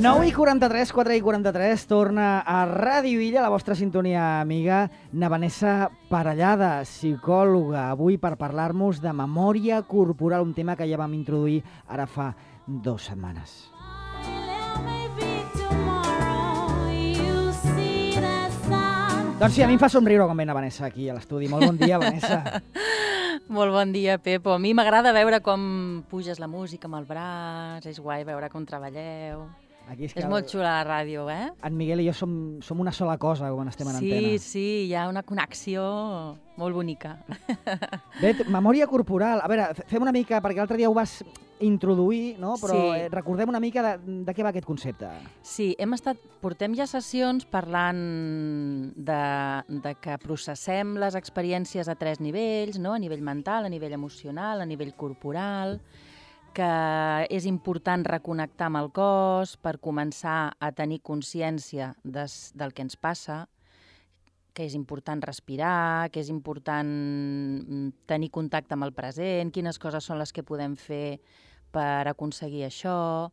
9:43, 4:43, torna a Ràdio Illa, la vostra sintonia amiga, na Vanessa Parellada, psicòloga, avui per parlar-nos de memòria corporal, un tema que ja vam introduir ara fa 2 setmanes. Doncs sí, a mi em fa somriure quan ve na Vanessa aquí a l'estudi. Molt bon dia, Vanessa. Molt bon dia, Pepo. A mi m'agrada veure com puges la música amb el braç, és guai veure com treballeu. Aquí és molt xula la ràdio, eh? En Miguel i jo som una sola cosa quan estem en antena. Sí, hi ha una connexió molt bonica. Bé, memòria corporal. A veure, fem una mica, perquè l'altre dia ho vas introduir, no? Però Sí. recordem una mica de què va aquest concepte. Sí, portem ja sessions parlant de que processem les experiències a 3 nivells, no? A nivell mental, a nivell emocional, a nivell corporal, que és important reconnectar amb el cos per començar a tenir consciència del que ens passa, que és important respirar, que és important tenir contacte amb el present, quines coses són les que podem fer per aconseguir això.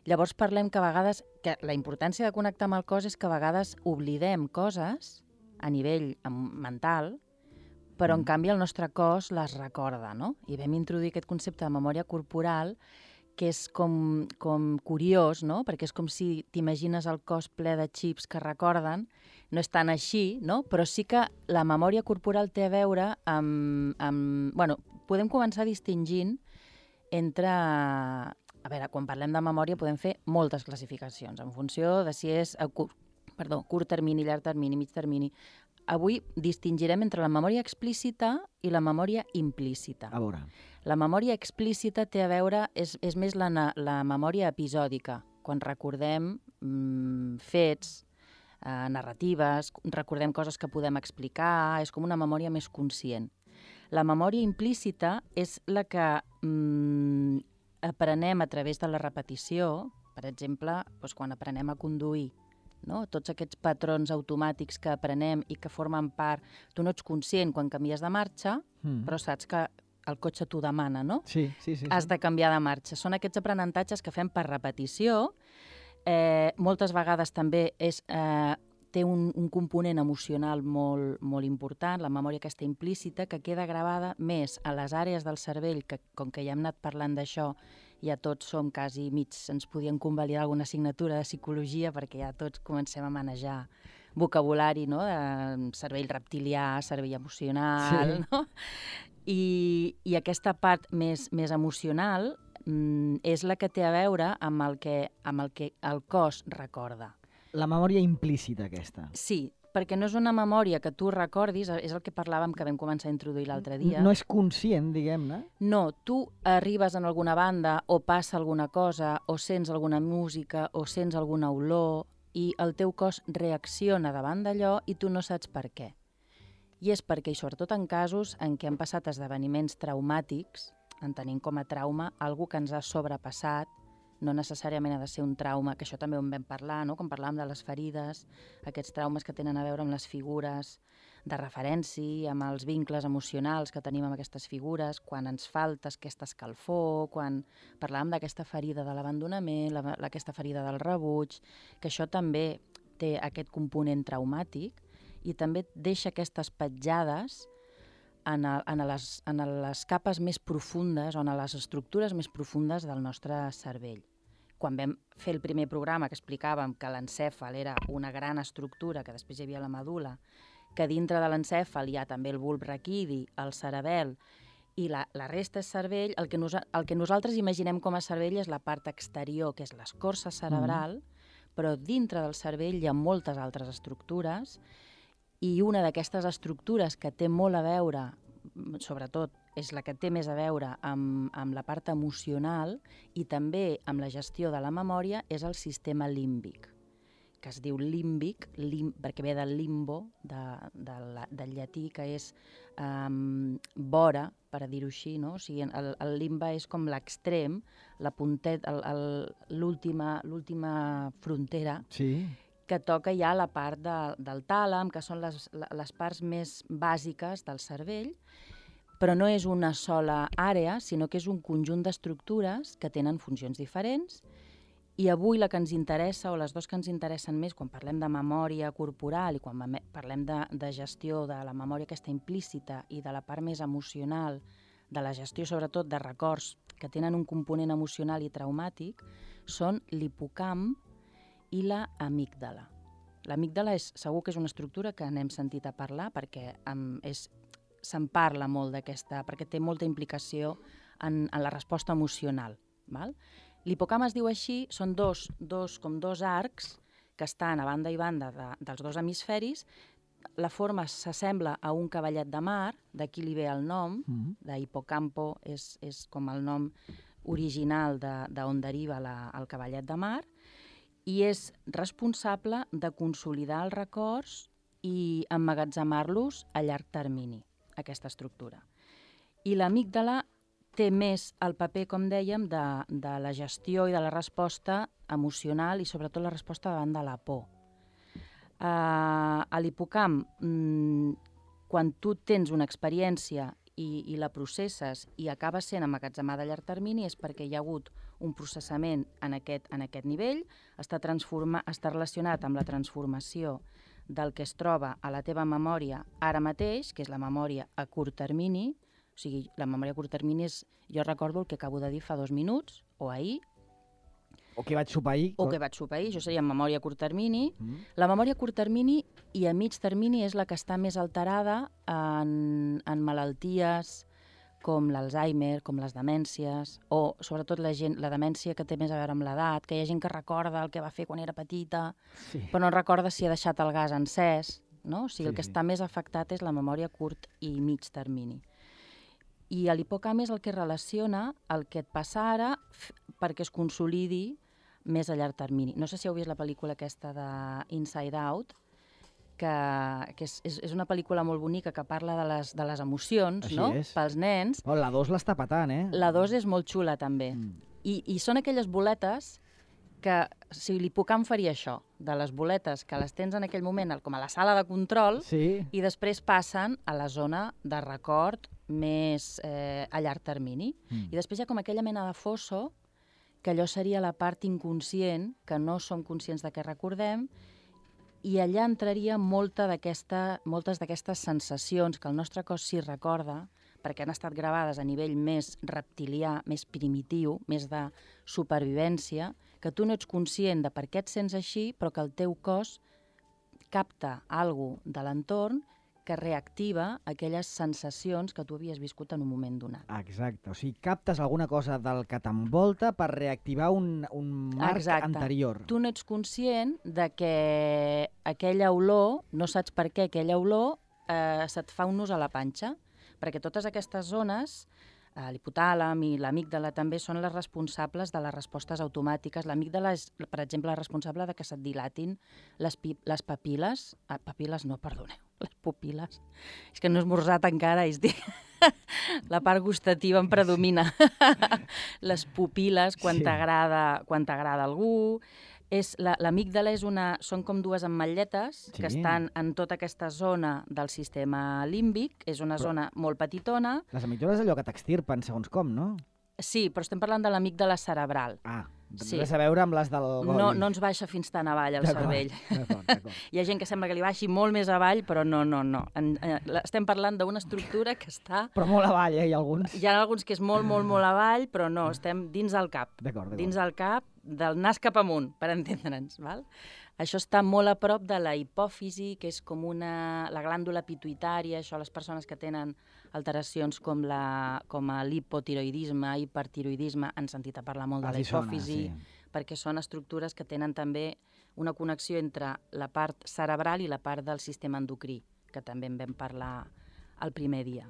Llavors parlem que a vegades, que la importància de connectar amb el cos és que a vegades oblidem coses a nivell mental, però en canvi el nostre cos les recorda, no? I vam introduir aquest concepte de memòria corporal, que és com curiós, no? Perquè és com si t'imagines el cos ple de xips que recorden, no és tan així, no? Però sí que la memòria corporal té a veure amb... Bueno, podem començar distingint entre... A veure, quan parlem de memòria podem fer moltes classificacions, en funció de si és curt termini, llarg termini, mig termini. Avui distingirem entre la memòria explícita i la memòria implícita. A veure. La memòria explícita té a veure, és més la memòria episòdica, quan recordem fets, narratives, recordem coses que podem explicar, és com una memòria més conscient. La memòria implícita és la que aprenem a través de la repetició, per exemple, doncs quan aprenem a conduir, no? Tots aquests patrons automàtics que aprenem i que formen part... Tu no ets conscient quan canvies de marxa, però saps que el cotxe t'ho demana, no? Sí. Has de canviar de marxa. Són aquests aprenentatges que fem per repetició. Moltes vegades també té un component emocional molt important, la memòria aquesta implícita, que queda gravada més a les àrees del cervell, que com que ja hem anat parlant d'això, ja tots som quasi mig, ens podien convalidar alguna assignatura de psicologia perquè ja tots comencem a manejar vocabulari, no? De cervell reptilià, cervell emocional, Sí. no? I aquesta part més emocional és la que té a veure amb el que el cos recorda. La memòria implícita aquesta. Sí, perquè no és una memòria que tu recordis, és el que parlàvem que vam començar a introduir l'altre dia. No és conscient, diguem-ne. No, tu arribes en alguna banda o passa alguna cosa o sents alguna música o sents alguna olor i el teu cos reacciona davant d'allò i tu no saps per què. I és perquè, i sobretot en casos en què han passat esdeveniments traumàtics, entenent com a trauma algú que ens ha sobrepassat, no necessàriament ha de ser un trauma, que això també ho vam parlar, no? Quan parlàvem de les ferides, aquests traumes que tenen a veure amb les figures de referència, amb els vincles emocionals que tenim amb aquestes figures, quan ens falta aquesta escalfor, quan parlàvem d'aquesta ferida de l'abandonament, aquesta ferida del rebuig, que això també té aquest component traumàtic i també deixa aquestes petjades en les capes més profundes o en les estructures més profundes del nostre cervell. Quan vam fer el primer programa que explicàvem que l'encèfal era una gran estructura, que després hi havia la medul·la, que dintre de l'encèfal hi ha també el bulb raquidi, el cerebel i la resta és cervell, el que nosaltres imaginem com a cervell és la part exterior, que és l'escorça cerebral, però dintre del cervell hi ha moltes altres estructures i una d'aquestes estructures que té molt a veure, sobretot és la que té més a veure amb la part emocional i també amb la gestió de la memòria, és el sistema límbic, que es diu límbic, perquè ve del limbo, del llatí, que és vora, per a dir-ho així, no? O sigui, el limbe és com l'extrem, la punteta, l'última frontera, Sí. que toca ja la part del tàlam, que són les parts més bàsiques del cervell, però no és una sola àrea, sinó que és un conjunt d'estructures que tenen funcions diferents I avui la que ens interessa, o les dues que ens interessen més, quan parlem de memòria corporal i quan parlem de gestió de la memòria aquesta implícita i de la part més emocional, de la gestió sobretot de records que tenen un component emocional i traumàtic, són l'hipocamp i l'amígdala. L'amígdala segur que és una estructura que n'hem sentit a parlar perquè se'n parla molt d'aquesta, perquè té molta implicació en la resposta emocional. Val? L'hipocamp es diu així, són dos arcs que estan a banda i banda dels dos hemisferis. La forma s'assembla a un cavallet de mar, d'aquí li ve el nom, d'hipocampo és com el nom original d'on deriva el cavallet de mar, i és responsable de consolidar els records i emmagatzemar-los a llarg termini, aquesta estructura. I l'amígdala té més el paper, com dèiem, de la gestió i de la resposta emocional i sobretot la resposta davant de la por. A l'hipocamp, quan tu tens una experiència i la processes i acaba sent emmagatzemada a llarg termini és perquè hi ha hagut un processament en aquest nivell, està relacionat amb la transformació del que es troba a la teva memòria ara mateix, que és la memòria a curt termini. O sigui, la memòria a curt termini és, jo recordo el que acabo de dir fa 2 minuts, o ahir. O que vaig sopar ahir. O que vaig sopar ahir, això seria memòria a curt termini. La memòria a curt termini i a mig termini és la que està més alterada en malalties com l'Alzheimer, com les demències, o sobretot la demència que té més a veure amb l'edat, que hi ha gent que recorda el que va fer quan era petita, però no recorda si ha deixat el gas encès, no? O sigui, el que està més afectat és la memòria a curt i mig termini. I l'hipocamp és el que relaciona el que et passa ara perquè es consolidi més a llarg termini. No sé si heu vist la pel·lícula aquesta d'Inside Out, que és una pel·lícula molt bonica que parla de les emocions, no? Pels nens. La 2 l'està patant, eh? La 2 és molt xula, també. I són aquelles boletes que, si l'hipocamp faria això, de les boletes que les tens en aquell moment com a la sala de control i després passen a la zona de record més a llarg termini. I després hi ha com aquella mena de fosso, que allò seria la part inconscient, que no som conscients de què recordem, i allà entraria moltes d'aquestes sensacions que el nostre cos sí recorda, perquè han estat gravades a nivell més reptilià, més primitiu, més de supervivència, que tu no ets conscient de per què et sents així, però que el teu cos capta alguna cosa de l'entorn que reactiva aquelles sensacions que tu havies viscut en un moment donat. Exacte, o sigui, captes alguna cosa del que t'envolta per reactivar un marc anterior. Tu no ets conscient de que aquella olor, no saps per què aquella olor se't fa un nus a la panxa, perquè totes aquestes zones, l'hipotàlam i l'amígdala també són les responsables de les respostes automàtiques. L'amígdala és, per exemple, responsable de que se't dilatin les papil·les. Papil·les no, perdoneu, les pupil·les. És que no he esmorzat encara, la part gustativa em predomina. Les pupil·les, quan t'agrada algú. L'amígdala són com 2 ametlletes que estan en tota aquesta zona del sistema límbic. És una zona molt petitona. Les amígdales és allò que t'extirpen, segons com, no? Sí, però estem parlant de l'amígdala cerebral. Res a veure amb les del gol. No ens baixa fins tan avall el cervell. D'acord. Hi ha gent que sembla que li baixi molt més avall, però no. Estem parlant d'una estructura que està... Però molt avall, hi ha alguns. Hi ha alguns que és molt avall, però no, estem dins del cap. D'acord. Dins del cap, del nas cap amunt, per entendre'ns, val? Això està molt a prop de la hipòfisi, que és com la glàndula pituïtària, això les persones que tenen alteracions com l'hipotiroidisme, hipertiroidisme, han sentit a parlar molt de la hipòfisi, perquè són estructures que tenen també una connexió entre la part cerebral i la part del sistema endocrí, que també en vam parlar el primer dia.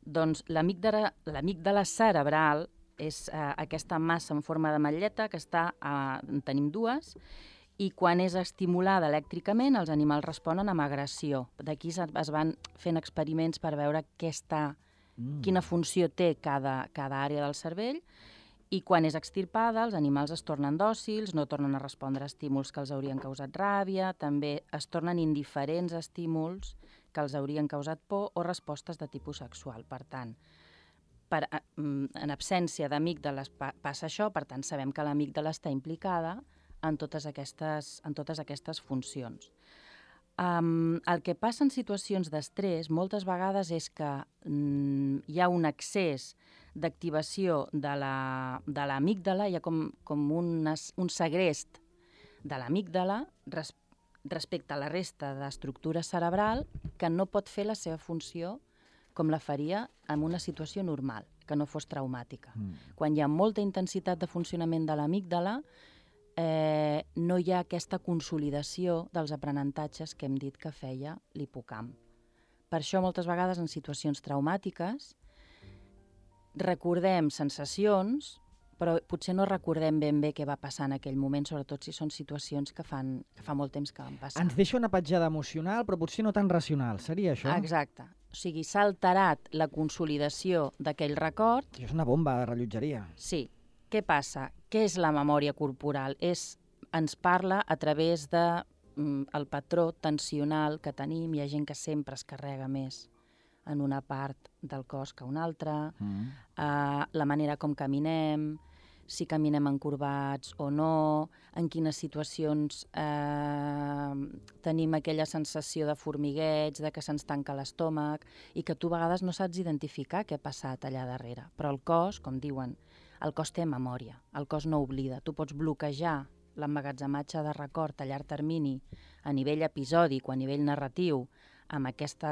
Doncs l'amígdala cerebral és aquesta massa en forma d'ametlleta que en tenim 2, i quan és estimulada elèctricament, els animals responen amb agressió. D'aquí es van fent experiments per veure quina funció té cada àrea del cervell, i quan és extirpada, els animals es tornen dòcils, no tornen a respondre a estímuls que els haurien causat ràbia, també es tornen indiferents a estímuls que els haurien causat por o respostes de tipus sexual. Per tant, en absència d'amígdales passa això, per tant sabem que l'amígdala està implicada en totes aquestes funcions. El que passa en situacions d'estrès moltes vegades és que hi ha un excés d'activació de l'amígdala, hi ha com un segrest de l'amígdala respecte a la resta d'estructura cerebral que no pot fer la seva funció com la faria en una situació normal, que no fos traumàtica. Quan hi ha molta intensitat de funcionament de l'amígdala, no hi ha aquesta consolidació dels aprenentatges que hem dit que feia l'hipocamp. Per això, moltes vegades, en situacions traumàtiques, recordem sensacions, però potser no recordem ben bé què va passar en aquell moment, sobretot si són situacions que fa molt temps que van passar. Ens deixa una petjada emocional, però potser no tan racional. Seria això? Exacte. O sigui, s'ha alterat la consolidació d'aquell record. Això és una bomba de rellotgeria. Sí. Què passa? Què és la memòria corporal? Ens parla a través del patró tensional que tenim. Hi ha gent que sempre es carrega més en una part del cos que una altra, la manera com caminem, si caminem encorbats o no, en quines situacions tenim aquella sensació de formigueig, de que se'ns tanca l'estómac, i que tu a vegades no saps identificar què ha passat allà darrere. Però el cos, com diuen, el cos té memòria, el cos no oblida. Tu pots bloquejar l'emmagatzematge de record a llarg termini a nivell episòdic o a nivell narratiu amb aquest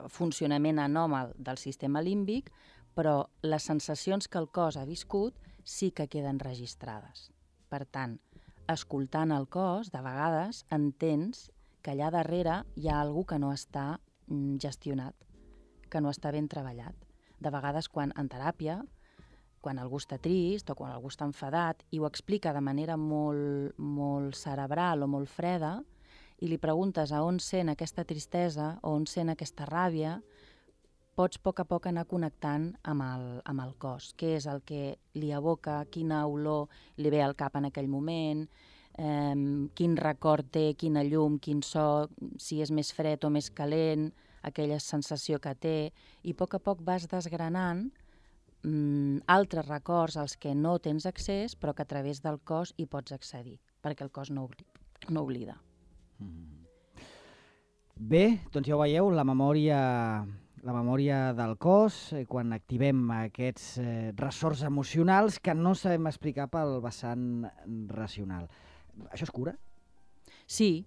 funcionament anòmal del sistema límbic, però les sensacions que el cos ha viscut sí que queden registrades. Per tant, escoltant el cos, de vegades entens que allà darrere hi ha alguna que no està gestionat, que no està ben treballat. De vegades, en teràpia, quan algú està trist o quan algú està enfadat i ho explica de manera molt, molt cerebral o molt freda i li preguntes a on sent aquesta tristesa o on sent aquesta ràbia, pots a poc anar connectant amb el cos. Què és el que li evoca, quina olor li ve al cap en aquell moment, quin record té, quina llum, quin so, si és més fred o més calent, aquella sensació que té, i a poc vas desgranant altres records als que no tens accés, però que a través del cos hi pots accedir, perquè el cos no oblida. Bé, doncs ja ho veieu, la memòria del cos, quan activem aquests ressorts emocionals que no sabem explicar pel vessant racional. Això es cura? Sí,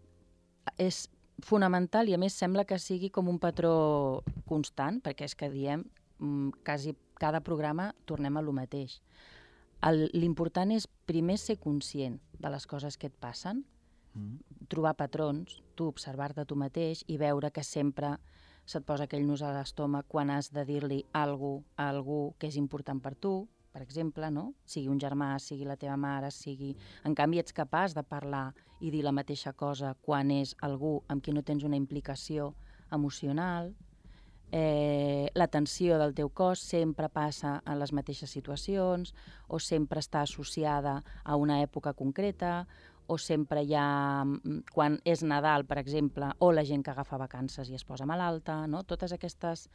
és fonamental i a més sembla que sigui com un patró constant, perquè és que diem quasi cada programa tornem a lo mateix. L'important és primer ser conscient de les coses que et passen, trobar patrons, tu observar-te tu mateix i veure que sempre se't posa aquell nus a l'estómac quan has de dir-li alguna cosa a algú que és important per tu, per exemple, no? Sigui un germà, sigui la teva mare, sigui... En canvi, ets capaç de parlar i dir la mateixa cosa quan és algú amb qui no tens una implicació emocional. La tensió del teu cos sempre passa en les mateixes situacions o sempre està associada a una època concreta o sempre hi ha, quan és Nadal, per exemple, o la gent que agafa vacances i es posa malalta, no? Totes aquestes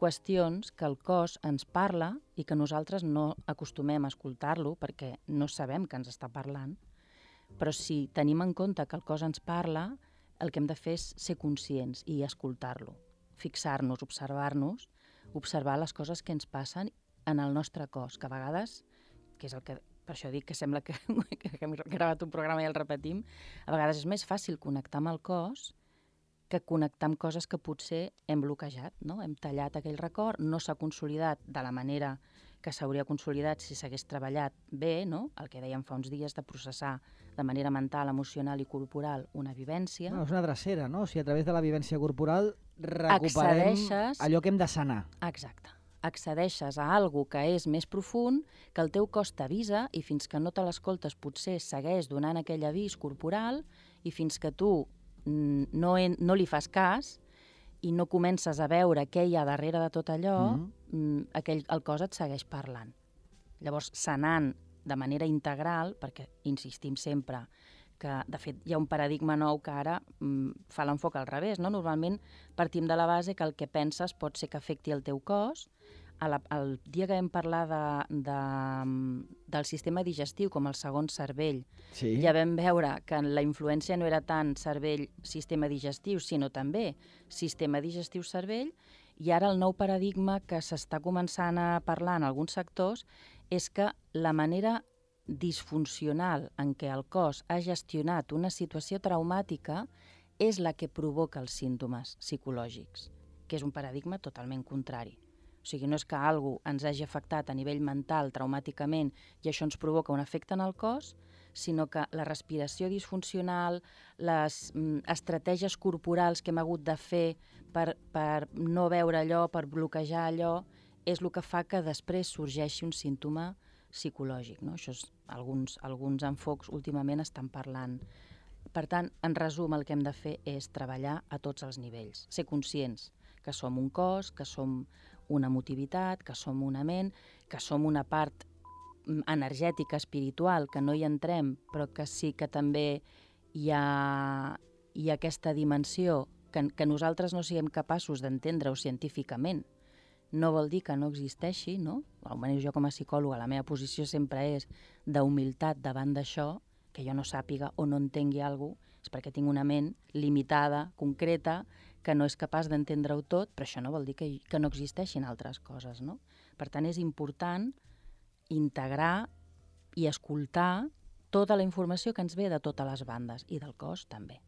qüestions que el cos ens parla i que nosaltres no acostumem a escoltar-lo perquè no sabem que ens està parlant, però si tenim en compte que el cos ens parla, el que hem de fer és ser conscients i escoltar-lo, fixar-nos, observar-nos, observar les coses que ens passen en el nostre cos, que a vegades, que és el que, per això dic que sembla que hem gravat un programa i el repetim, a vegades és més fàcil connectar amb el cos que connectar amb coses que potser hem bloquejat, no? Hem tallat aquell record, no s'ha consolidat de la manera que s'hauria consolidat si s'hagués treballat bé, no? El que dèiem fa uns dies de processar de manera mental, emocional i corporal una vivència. No, és una drecera, no? O sigui, a través de la vivència corporal recuperem allò que hem de sanar. Exacte. Accedeixes a algo que és més profund, que el teu cos t'avisa i fins que no te l'escoltes potser segueix donant aquell avís corporal i fins que tu no li fas cas i no comences a veure què hi ha darrere de tot allò, el cos et segueix parlant. Llavors, sanant de manera integral, perquè insistim sempre que, de fet, hi ha un paradigma nou que ara fa l'enfoc al revés, no? Normalment partim de la base que el que penses pot ser que afecti el teu cos, el dia que vam parlar del sistema digestiu com el segon cervell, Sí. ja vam veure que la influència no era tant cervell-sistema digestiu, sinó també sistema digestiu-cervell, i ara el nou paradigma que s'està començant a parlar en alguns sectors és que la manera disfuncional en què el cos ha gestionat una situació traumàtica és la que provoca els símptomes psicològics, que és un paradigma totalment contrari. O sigui, no és que algú ens hagi afectat a nivell mental traumàticament i això ens provoca un efecte en el cos, sinó que la respiració disfuncional, les estratègies corporals que hem hagut de fer per no veure allò, per bloquejar allò, és el que fa que després sorgeixi un símptoma psicològic. No? Això és, alguns enfocs últimament estan parlant. Per tant, en resum, el que hem de fer és treballar a tots els nivells, ser conscients que som un cos, que som una emotivitat, que som una ment, que som una part energètica, espiritual, que no hi entrem, però que sí que també hi ha aquesta dimensió que nosaltres no siguem capaços d'entendre-ho científicament. No vol dir que no existeixi, no? Almenys jo com a psicòloga, la meva posició sempre és d'humilitat davant d'això, que jo no sàpiga o no entengui alguna cosa, és perquè tinc una ment limitada, concreta, que no és capaç d'entendre-ho tot, però això no vol dir que no existeixin altres coses, no? Per tant, és important integrar i escoltar tota la informació que ens ve de totes les bandes i del cos també.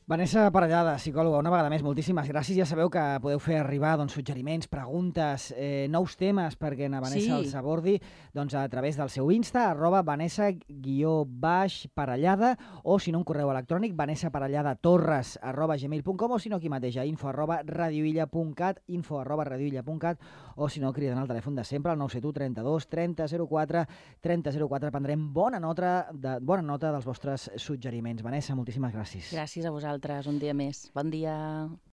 Vanessa Parellada, psicòloga, una vegada més, moltíssimes gràcies. Ja sabeu que podeu fer arribar suggeriments, preguntes, nous temes perquè na Vanessa els abordi a través del seu Insta, @Vanessa_Parellada, o si no, un correu electrònic, vanessaparelladatorres@gmail.com, o si no, aquí mateix a info@radioilla.cat, o si no, criden al telèfon de sempre, al 971 32 30 04 30 04. Prendrem bona nota dels vostres suggeriments. Vanessa, moltíssimes gràcies. Gràcies a vosaltres, un dia més. Bon dia.